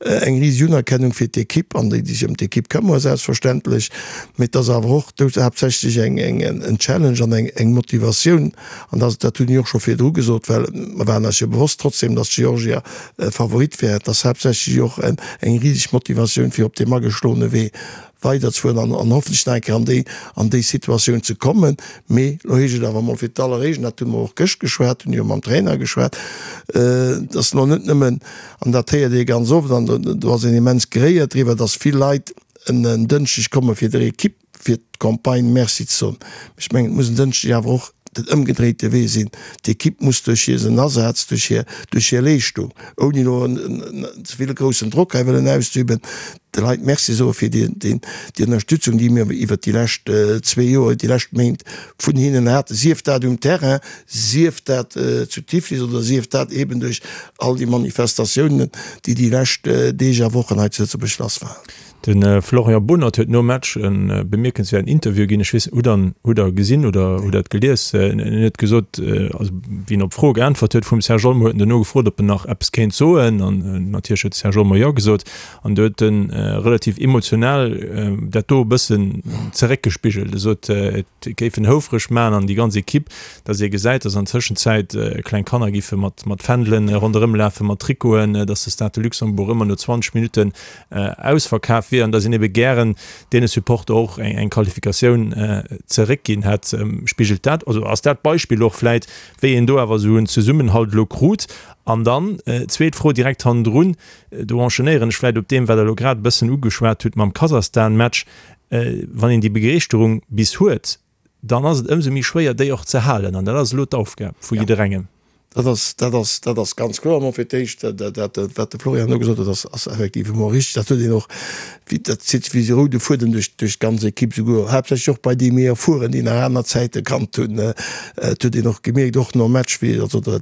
[SPEAKER 5] eng riseg Unerkennung fir d'Ekipp an déi, déi sech ëm d'Ekipp këmmere selbstverständlech, mee et ass awer och do haaptsächlech eng eng en Challenge an eng eng Motivatioun. An dat dat hunn ech och scho virdru gesot, well mer waren eis jo bewosst trotzdem, datt Georgia Favorit wär. Et ass haaptsächlech och eng riseg Motivatioun fir op deem ageschloene Wee weiderzefueren an an hoffentlech nach eng Kéier an déi an déi Situatioun ze kommen. Mee elo heescht et awer emol fir d'alleréischt, an dat hu mer och gëscht geschwat, hunn jo mam Trainer geschwat, datt elo net nëmmen, An dat héiert ee ganz oft, an do ass een immens geréiert driwwer, dass vill Leit en Dënschdeg komme fir der Ekipp fir d'Campagne Merci ze soen. Mee ech mengen, et muss en Dënschdeg awer och den ëmgedréite Wee sinn. D'Ekipp muss duerch hiren Asaz, duerch hir, duerch hir Leeschtung, ouni elo ze vill groussen Drock hei wëllen auszeüben, de Leit Merci soe fir déi, déi Ënnerstützung, déi mir iwwert déi lescht zwee Joer, déi lescht Méint vun hinnen haten, sief dat um Terrain, sief dat zu Tiflis oder sief dat eeben duerch all déi Manifestatiounen, déi déi lescht Deeg a Wochen hei zu Lëtzebuerg lass waren.
[SPEAKER 4] De Florian Bohnert huet nom Match e bemierkenswäerten Interview ginn. Ech weess, hutt Der hutt Der gesinn oder hutt Der et gelies? En huet gesot, also wéi en op Froe geäntwert huet vum Serge Olmo, huet en duerno gefrot, ob en nach eppes kéint soen. An natierlech huet de Serge Olmo Jo gesot. An do huet en relativ emotional dat do e bëssen zeréckgespigelt. E sot, et géif en houfreg maachen an déi ganz Ekipp, dass ee gesäit, dass an Tëschenzäit kleng Kanner giffe mat mat Fändelen ronderëm lafen, mat Trikoten, dass de Stade de Luxembourg ëmmer no 20 Minutten ausverkaf wier an dass een ebe gären deene Supporter och eng eng Qualifikatioun zeréckginn hätt. Spigelt dat, also ass dat d'Beispill och vläit, wéi een do awer esou en Zesummenhalt elo krut? An dann zweet Fro direkt hannendrun, do enchaînéieren ech vläit op deem, wat Der elo grad e bëssen ugeschwat hutt mam Kasachstan-Match, Wann een déi Begeeschterung bis huet, dann ass et ëmsou méi schwéier, déi och ze halen. An dat ass elo d'Aufgab vu jidderengem.
[SPEAKER 5] Dat ass, dat ass, dat ass ganz kloer. Emol fir d'éischt, dat, wat de Florian elo gesot huet, ass, ass effektiv emol richtig. Dat huet een och, wéi, dat zitt sech wéi e roude Fuedem duerch, duerch d'ganz Ekipp, souguer haaptsächlech och bei déi méi Erfueren, déi nach aner Zäite kannt hunn. Et huet een och gemierkt, och nom Match, wéi also dat,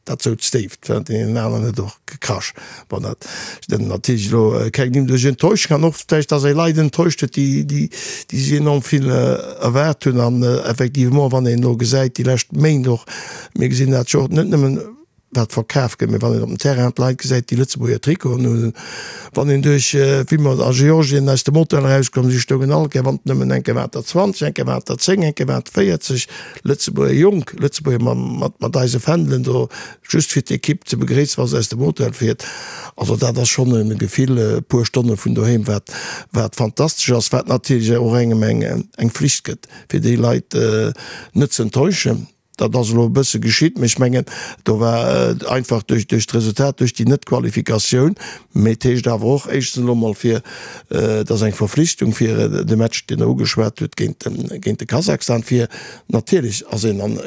[SPEAKER 5] Dat souz déif, dat huet een aneren huet och gekrasch. Bon, dat sinn natierlech elo keng Nimm. Duerch Enttäuschung an och vläicht, dass ee Leit enttäuscht huet, déi, déi, déi sech enorm vill erwaart hunn. An effectivement, wann een elo gesäit, déi lescht Méint och, mir gesinn dat jo och net nëmmen, wat verkaf gëtt, mee wann een op dem Terrain d'Leit gesäit, déi Lëtzebuerger Trikoten hunn, Wann een duerch, wéi mer a Georgien aus dem Hotel erauskomm sinn, stoungen all Kéier, wann et nëmmen eng Kéier waren et der 20, eng Kéier waren et der 10, eng Kéier waren et 40 Lëtzebuerger, jonk Lëtzebuerger mat, mat eise Fändelen do, just fir d'Ekipp ze begréissen, wa se aus dem Hotel fiert. Also dat ass schonn e Gefill, e puer Stonne vun doheem, wat, wat fantastesch ass, wat natierlech och engem eng, eng Flicht gëtt, fir déi Leit net ze enttäuschen. Dat ass elo e bësse geschitt, mee ech mengen, do war einfach duerch d'Resultat, duerch déi Net-Qualifikatioun. Mee et heescht awer och éischtens elo mol fir, et ass eng Verflichtung fir de Match, deen Der ugeschwat hutt, géint géint de Kasachstan, fir natierlech ass een an,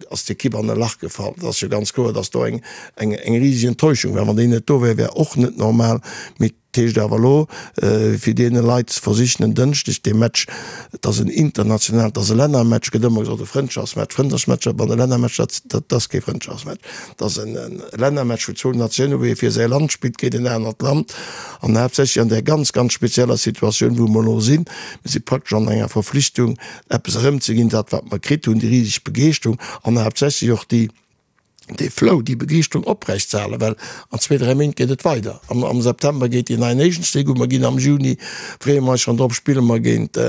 [SPEAKER 5] ass d'Ekipp an e Lach gefall. Et ass jo ganz kloer, datt do eng eng riseg Enttäuschung war. Wann déi net do wär, wär och net normal. Mee Et heescht awer elo, fir deene Leit ze versichen, en Dënschdeg dee Match, et ass en internationalen, et ass e Lännermatch, gëtt ëmmer gesot, e Frëndschaftsmatch, Frëndschaftsmatcher, bon, e Lännermatch, dat, dat ass kee Frëndschaftsmatch, et ass en Lännermatch vun zwou Natiounen, wou ee fir säi Land spillt géint en anert Land, an haaptsächlech an där ganz, ganz spezieller Situatioun, wou mer elo sinn. Mir si praktesch an enger Verflichtung, eppes erëmzeginn, dat wat mer kritt hunn, déi riseg Begeeschterung an haaptsächlech och déi, dee Flow, déi Begeeschterung oprecht ze halen, well an zwee, dräi Méint geet et weider. Am, am September geet déi nei Nations League u, mer ginn am Juni, freeë mer eis schonn drop, spille mer géint,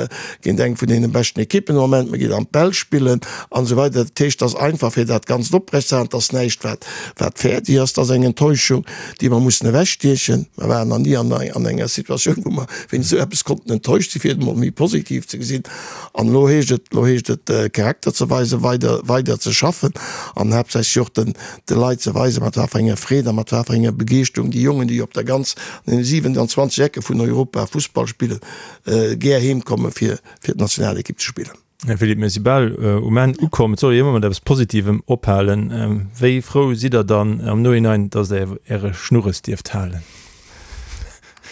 [SPEAKER 5] géint eng vun deene beschten Ekippen am Moment, mer ginn an d'Belsch spillen an esou weider. Dat heescht, et ass einfach fir dat Ganzt oprecht ze halen, et ass näischt wat, wat fäerdeg ass, et ass eng Enttäuschung, déi mer mussen ewechstiechen. Mer waren nach ni an, an enger Situatioun, wou mer wéinst esou eppes konnten enttäuscht sinn, fir et emol méi positiv ze gesinn. An elo heescht et, elo heescht et Charakter ze weisen, weider, weider ze schaffen an haaptsächlech och den, de Leit ze weisen, mat wat fir enger Freed a mat wat fir enger Begeeschterung déi Jongen, déi op der ganz, an deene 27 Ecke vun Europa Fussball spillen, gär heem komme fir, fir d'Nationalekipp ze spillen.
[SPEAKER 4] Här Philippe, mir si bal um Enn ukomm. Et soll ee jo ëmmer mat eppes Positivem ophalen. Wéi frou sidd Der dann am Nohinein, datt Der Äre Schnurres dierft halen?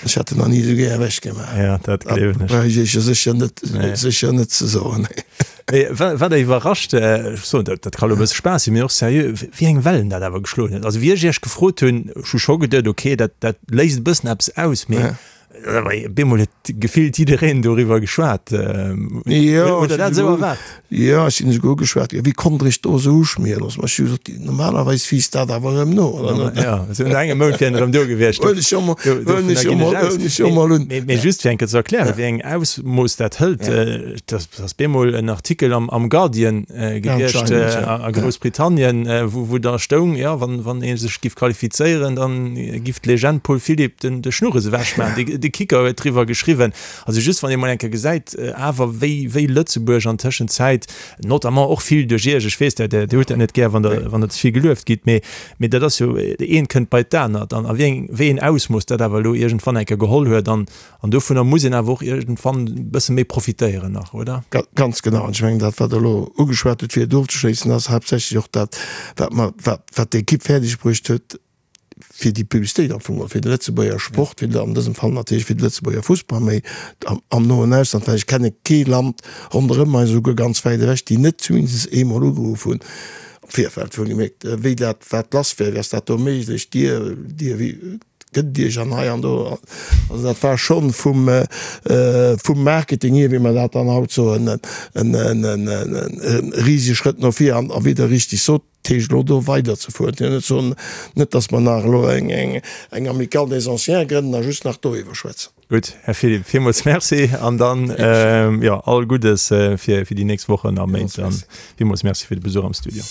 [SPEAKER 5] Ech hätt en nach ni esou gär ewech gemaach.
[SPEAKER 4] Ja, dat gleewen
[SPEAKER 5] ech. Brauch ech Iech jo sécher net, sécher net ze soen.
[SPEAKER 4] Mee wat der iwwerrascht, ech soen, dat dat ka lo e bësse Spaass sinn, mee och seriö, wéi eng Wellen dat awer geschloen huet. Also wéi ech Iech gefrot hunn, ech hu scho geduet, okay, dat dat léist e bëssen eppes aus, mee op eemol huet gefillt jiddereen doriwwer geschwat.
[SPEAKER 5] Hutt Der dat esou erwaart? Jo, ech sinn esouguer ugeschwat ginn, wéi konnt Der Iech do esou uschmiere loossen? Ma ech hu gesot, normalerweis wiisst dat awer erëm no, oder net?
[SPEAKER 4] Jo, esou no engem Mount wier en erëm do gewiescht.
[SPEAKER 5] Huel ech jo mol, huelen ech jo mol, huelen ech jo mol un.
[SPEAKER 4] Mee just fir eng Kéier ze erklären, wéi eng Ausmooss dat hëlt, Dat ass bemol en Artikel am Guardian gewiescht a Groussbritannien, wou da stoung, jo, wann ee sech giff qualifizéieren, da giff d'Legend Paul Philipp de Schnurres ewechmaachen. De Kicker huet driwwer geschriwwen. Also just wann ee mol eng Kéier gesäit awer, wéi Lëtzebuerg an Tëschenzäit, notamment och vill duerch Iech, ech weess, Der hutt dat net gär, wann Der ze vill gelueft gitt, mee dat ass jo, eent kënnt bei d'anert an a wéi een Ausmooss dat awer elo iergendwann eng Kéier geholl huet. An dovunner muss een awer och iergendwann e bësse méi profitéieren nach, oder?
[SPEAKER 5] Ganz genau. An ech mengen, dat, wat Der elo ugeschwat hutt, fir et ofzeschléissen, ass haaptsächlech och dat, wat mer, wat, wat d'Ekipp fäerdegbruecht huet, fir déi Publicitéit am Fong geholl fir de Lëtzebuerger Sport, fir an dësem Fall natierlech fir de Lëtzebuerger Fussball, méi am noen Ausland, well ech kenne kee Land ronderëm eis, esouguer ganz wäit ewech, déi net zumindest eemol ugeruff hunn am Virfeld, wou gemierkt, wéi dat, wat lass wär, wéi ass dat do méiglech, Dir, Dir, wéi. Gëtt Iech an hei an do. Also dat war schonn vum, vum Marketing hier, wéi mer dat dann haut soen, en risege Schrëtt no vir. An wéi Der richtig sot, dat heescht elo do weiderzefueren, fir net ze soen, net datt mer nach elo eng Amicale des Anciens grënnen a just nach doriwwer schwätzen.
[SPEAKER 4] Gutt, Här Philipp, villmools Merci an dann, jo, all Guddes fir déi nächst Wochen a Méint. Villmools Merci fir de Besuch am Studio.